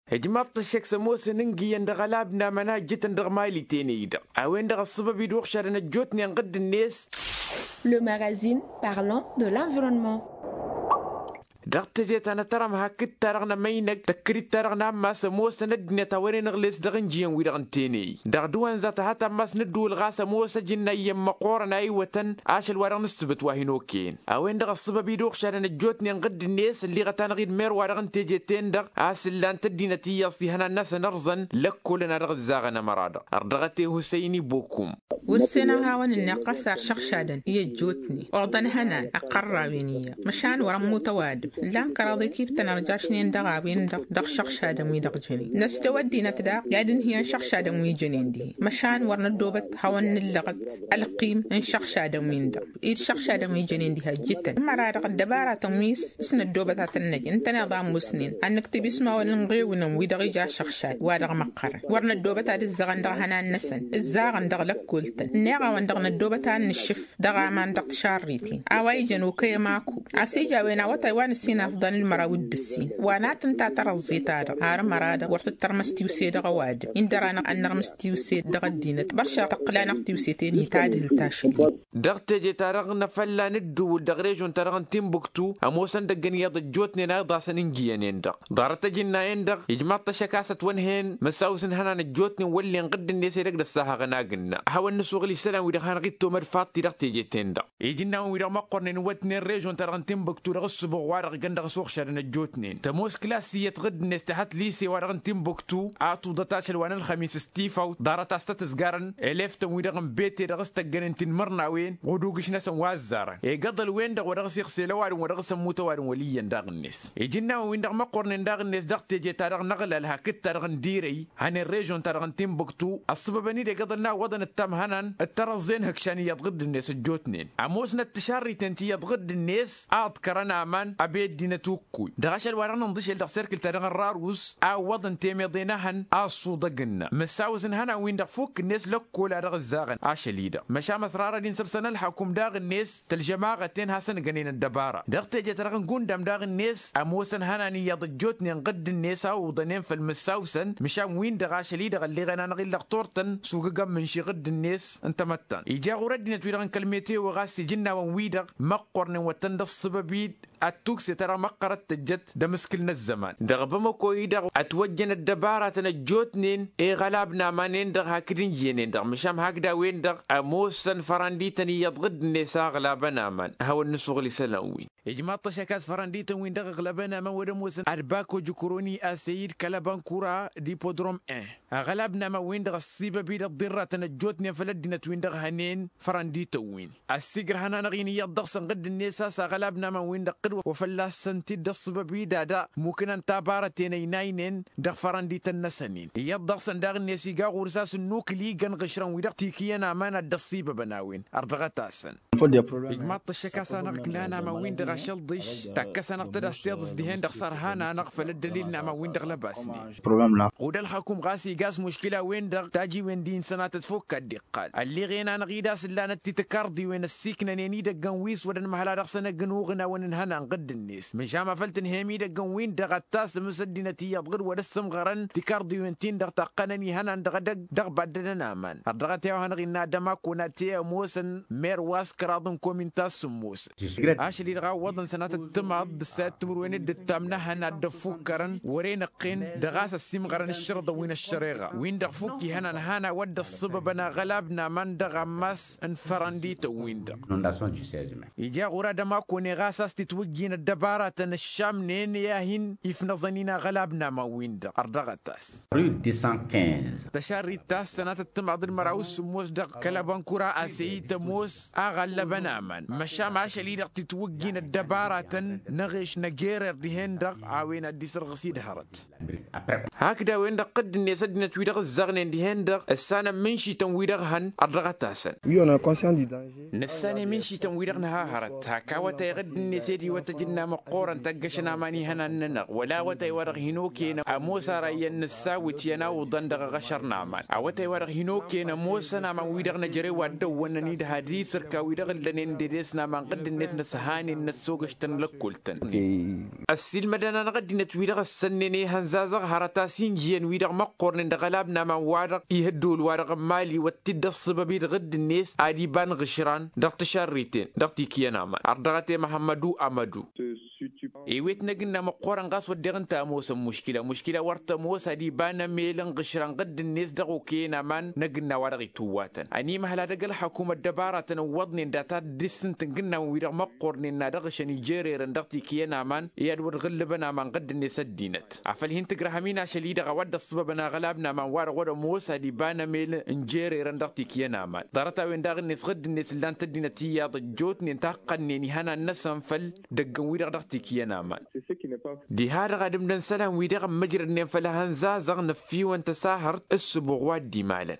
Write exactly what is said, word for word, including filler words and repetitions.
Ǝjmaḍ-t ăššăk s-ămoosăn ǝngǝyăn dăɣ-ălab n-aman a ǝjjǝtăn dăɣ-mali tenăy-dăɣ a-wen-dăɣ ăṣṣăbăb-i d-uɣšadăn ăjjootnen ɣǝdd-net. Le magazine parlant de l'environnement. Dăɣ-teje ta n-atărăm hakd-ta-dăɣ n-emăynăg tăkkăd-dd-ta-dăɣ n-ammas ămoosăn ăddinăt a wăren ǝɣles dăɣ-ǝnjǝyăn-wi-dăɣ n-tenăy dăɣ-dăwăn za tăha tammas n-ǝddǝwǝl ɣas ămoos ăjǝnna iyyăn măqqoorăn a iwătăn ašăl wa dăɣ-nǝssǝbǝt wa hin-okăyăn. A-wen-dăɣ ăṣṣăbăb-i d-uɣšadăn ăjjootnen ɣǝdd-net ălliɣăt-anăɣ-dd mer-wa-dăɣ n-teje-ten-dăɣ a-s ǝllan-t ăddinăt iyyăẓ tihănan-năsăn ărẓăn lăkkolăn a dăɣ-ǝzzaɣăn ămăra-dăɣ. Ărdăɣăt i-husăyni bokum. Wăr-sen a hawăn-ǝnneɣ ɣas ar šăɣšadăn i-ăjjootnen oḍăn ihănan ăqqărrawen iyyăḍ măšan wăr-ămmut ăwadǝm. Ǝllan kăraḍ ikibtăn ărjašnen dăɣ-a-wen-dăɣ dăɣ-šăɣšadăn-wi-dăɣ jănen năsdăw ăddinăt daɣ i-ad-ǝnhǝyăn šăɣšadăn wi jănen dihen măšan wăr năddobăt hawăn-nǝllăɣăt ălqim n-šăɣšadăn-win-dăɣ. Ed šăɣšadăn wi jănen diha ǝjjǝtăn ămăra-dăɣ ăddăbaratăn wi s-năddobăt ad-tăn-năj ǝntăneḍ a ămoosnen ad-nǝktǝb ismawăn n-iɣewǝnăn wi-dăɣ ija šăɣšad wa dăɣ-măqqărăn wăr năddobăt ad-ǝzzăɣăn dăɣ-ihănan-năsăn ǝzzaɣăn dăɣ-lăkkoltăn ǝnneɣ-awăn-dăɣ năddobăt ad-nǝššǝf dăɣ-aman dăɣ-tišarriten a-wa ijăn okăy ămaku a-s ija a-wen awătay wa nǝssin afḍăn ǝlmăraw d-ǝssin wa n-ad-tǝnta tărăẓẓe-ta-dăɣ har ămăra-dăɣ wăr tǝttărmăs tiwse dăɣ-ăwadǝm-in dăr-anăɣ ad-nărmǝs tiwse dăɣ-ăddinăt băršăɣ tăqqǝl-anăɣ tiwse-ten-hi tadhǝlt ašăl-i. Dăɣ-teje-ta-dăɣ n-afălla n-ǝddǝwǝl dăɣ-režon-ta-dăɣ n-timbuktu ămoosăn dăgg-ănn iyyăḍ ăjjootnen a iḍasăn ǝnjǝyănen-dăɣ ḍarăt-ăj ǝnna-en-dăɣ ijmaḍ-t ăššăk a-s ătwănhăyăn mǝsawǝs n-ihănan ăjjootnen wăllen ɣǝdd-net edăgg d-ăssahăɣăn agǝnna ad-hawăn-nǝsuɣǝl isălan-wi-dăɣ hanăɣ-dd-tomăd faḍt-i dăɣ-teje-ten-dăɣ. Iji n-awăn-wi-dăɣ măqqornen iwătnen režon-ta-dăɣ n-timbuktu dăɣ-ǝssǝbuɣ-wa-dăɣ jăn dăɣ-s uɣšadăn ăjjootnen tămoos klas iyyăt ɣǝdd-net tǝhăt lise-wa-dăɣ n-timbuktu a tuḍăt ašăl wa n-ălxămis s-tifawt ḍarăt a-s tăt-ǝzgarăn elef-tăn-wi-dăɣ n-bete dăɣ-s tăggănen tinmărnawen ɣudugǝš-năsăn wa ăzzarăn egăḍăl-wen-dăɣ wa dăɣ-s iɣsel ăwadǝm wa dăɣ-s ămmut ăwadǝm wăl' iyyăn daɣ-net. Iji n-awăn-win-dăɣ măqqornen daɣ-net dăɣ-teje-ta-dăɣ n-aɣlal hakd-ta-dăɣ n-dirăy hănen režon-ta-dăɣ n-timbuktu ăṣṣăbăbăn-dd egăḍăl n-awwăḍăn ǝttamhănan d-tărăẓẓen hǝkšan iyyăḍ ɣǝdd-net ăjjootnen ămoosnăt tišarriten ti iyyăḍ ɣǝdd-net a ǝḍkărăn aman ăbey ăddinăt ukkuy dăɣ-ašăl wa dăɣ-nǝnḍǝšel dăɣ-serkǝl-ta-dăɣ n-rarus a ǝwwăḍăn temeḍe n-ehăn a ǝṣṣuḍăg ǝnna mǝsawǝs n-ihănan-win-dăɣ fukk-net lăkkol a dăɣ-ǝzzaɣăn ašăl-i-dăɣ măšan ăsrarăd-in săr-săn ălxăkum daɣ-net tălžămaɣăt-en hasăn-gănen ăddăbara dăɣ-teje-ta-dăɣ n-gundam daɣ-net ămoosăn ihănan iyyăḍ ăjjootnen ɣǝdd-net a uwǝḍănen făll-mǝsawsăn măšan win-dăɣ ašăl-i-dăɣ ălleɣen-anăɣ-in lăɣ turtăn s-ugǝgăn mǝnši ɣǝdd-net n-tamăttant ija ɣur-ăddinăt-wi-dăɣ n-kăl-meteo ɣas iji n-awăn-wi-dăɣ măqqornen wăr tăn-dd-ăṣṣăbăb-dd ad-tukse-ta-dăɣ măqqărăt tǝjjăt d-amǝskǝl n-ăzzăman dăɣ-bamăko-i-dăɣ ătwăjjăn ăddăbaratăn ăjjootnen i-iɣălab n-aman-en-dăɣ hakd ǝnjǝyăn-en-dăɣ măšan hakd a-wen-dăɣ ămoosăn fărăndităn iyyăḍ ɣǝdd-net a ăɣlabăn aman ad-hawăn-nǝsuɣǝl isălan-win. Ijmaḍ-t ăššăk a-s fărăndităn-win-dăɣ ǝɣlăbăn aman wăr-ămoosăn ad-bako jǝkroni asăyid kălăbăn kura d-ipodrom-en aɣălab n-aman-win-dăɣ ăssibăb-dd ăḍḍirratăn ăjjootnen făll-ăddinăt-win-dăɣ hănen fărăndităn-win ăssigrăhăn-anăɣ-in iyyăḍ dăɣ-săn ɣǝdd-net a-s aɣălab n-aman-win-dăɣ ɣǝd-wăr wa fălla-săn-t-dd ăṣṣibăb-dd ad-mukǝnăn tabarăten ăynaynen dăɣ-fărăndităn-năsăn-in iyyăḍ dăɣ-săn daɣ-net iga ɣur-s a-s ǝnnukǝl igăn ɣǝšrăn-wi-dăɣ tikǝyăn aman ad-dd-ăṣṣibăbăn a-wen ărdăɣăt-asăn. Ijmaḍ-t ăššăk a-s anăɣ-ǝknan aman-win-dăɣ ašălḍǝš takkăs-anăɣ-tăd a-s tiḍǝs dihen-dăɣ sărhan-anăɣ făll-ăddălil n-aman-win-dăɣ lăbasnen. Ɣud ălxakum ɣas iga a-s muškila-wen-dăɣ tajiwen-di n-sănatăt fokk ad-dd-iqqal ălleɣen-anăɣ-dd a-s ǝllanăt ti tǝkarḍiwen ăssiiknănen idăggăn wi s-wăr-ănmăhăl a dăɣ-săn ăgg-ănuɣǝn a-wen ǝnhănan ɣǝdd-net măšan ma făl tǝnhăyăm idăggăn-win-dăɣ ad-tasǝmǝs ăddinăt iyyăḍ ɣǝd-wăr ăssǝmɣărăn tikarḍiwen-tin-dăɣ taqqănăn ihănan dăɣ-edăgg dăɣ-baddădăn aman ărdăɣăt i-a-wa hanăɣ-innă ad-ămakon ad-t-e-ămoosăn mer wa s-kăraḍ n-komin ta s-sǝmmosăn ašăl-i-dăɣ a ǝwwăḍăn sănatăt timaḍ d-ǝssayăt timǝrwen d-ǝttam n-ehăn ad-dd-ăffukkărăn wăr-e-năqqen dăɣ-a-s ăssimɣărăn ǝššărǝḍăn wi n-ăššăreɣa win-dăɣ fukk ihănan han a-wa dd-ăṣṣibăbăn aɣălab n-aman dăɣ-ammas n-fărăndităn-win-dăɣ. Ija ɣur-ad-ămakone ɣas a-s titwǝjjin ăddăbaratăn ǝššamnen i-ad-hin-ifnăẓăn-in aɣălab n-aman-win-dăɣ ărdăɣăt-as. Tăšarrit ta s-sănatăt timaḍ d-măraw s-sǝmmos dăɣ-kăl-ăbănkura asăyit ămoos a ɣallăbăn aman măšan ašăl-i-dăɣ titwǝjjin ăddăbaratăn n-aɣeš n-agerer dihen-dăɣ a-wen ad-dd-isărɣǝs-dd hărăt. Hakd a-wen-dăɣ ɣǝdd-net ăddinăt wi-dăɣ ǝzzăɣnen dihen-dăɣ ǝssanăn mǝnšităn wi-dăɣ hăn ărdăɣăt-asăn. Nǝssan i-mǝnšităn wi-dăɣ nǝha hărăt hak awătay ɣǝdd-net ed iwăt ajǝnna măqqoorăn tăggăšăn aman ihănan-nănăɣ wăla awătay wa dăɣ-hin-okăyăn ămoos ara iyyăn nǝssawǝt i-ănawǝḍăn dăɣ-aɣăšăr n-aman awătay wa dăɣ-hin-okăyăn ămoosăn aman wi-dăɣ năjrăy wa dd-ăwwănnăn-dd had-isǝrka wi-dăɣ ǝllănen d-edes n-aman ɣǝdd-net nǝshanen. s-ogăš-tăn lăkkol-tăn. Ăssiilmădăn-anăɣ ăddinăt-wi-dăɣ ăssănnen i-ihănzazăɣ hărăt a-s injǝyăn-wi-dăɣ măqqornen dăɣ-ălab n-aman-wa-dăɣ ihăddol-wa-dăɣ n-mali wăr t-dd-ăṣṣǝbăb-i dăɣ-dd-net ad-iba n-iɣǝšran dăɣ-tišarriten dăɣ-tikǝyăn aman ărdăɣăt i-măhămmădu amădu. Ewet n-agǝnna măqqoorăn ɣas wădden ǝnta ămoosăn muškila muškila wăr tămoos ad-iba n-emel n-iɣǝšran ɣǝdd-net dăɣ-okăyăn aman n-agǝnna wa dăɣ-itǝwwatăn ănimăhăl ad-ăgg-ălxăkumăt dăbaratăn ǝwwăḍnen data dd-issǝntǝn gǝnnawen-wi-dăɣ măqqornen n-ad-ăɣšăn ijererăn dăɣ-tikǝyăn aman i-ad-wăr ɣǝllǝbăn aman ɣǝdd-net ăddinăt afăl hin-tǝgrăhăm-in ašăl-i-dăɣ a-wa dd-ăṣṣǝbăbăn aɣălab n-aman-wa-dăɣ wăr-ămoos ad-iba n-emel n-jererăn dăɣ-tikǝyăn aman ḍarăt-a-wen daɣ-net ɣǝdd-net ǝllan-t ăddinăt iyyăḍ ăjjootnen taqqănnen ihănan-năsăn făll-idăggăn-wi-dăɣ dăɣ-tikǝyăn aman. Diha-dăɣ ad-ǝmdăn isălan-wi-dăɣ ămmăjrădnen făll-ehănzazăɣ nǝffiwăn tăsahărt ǝssǝbuɣ wa dd-imalăn.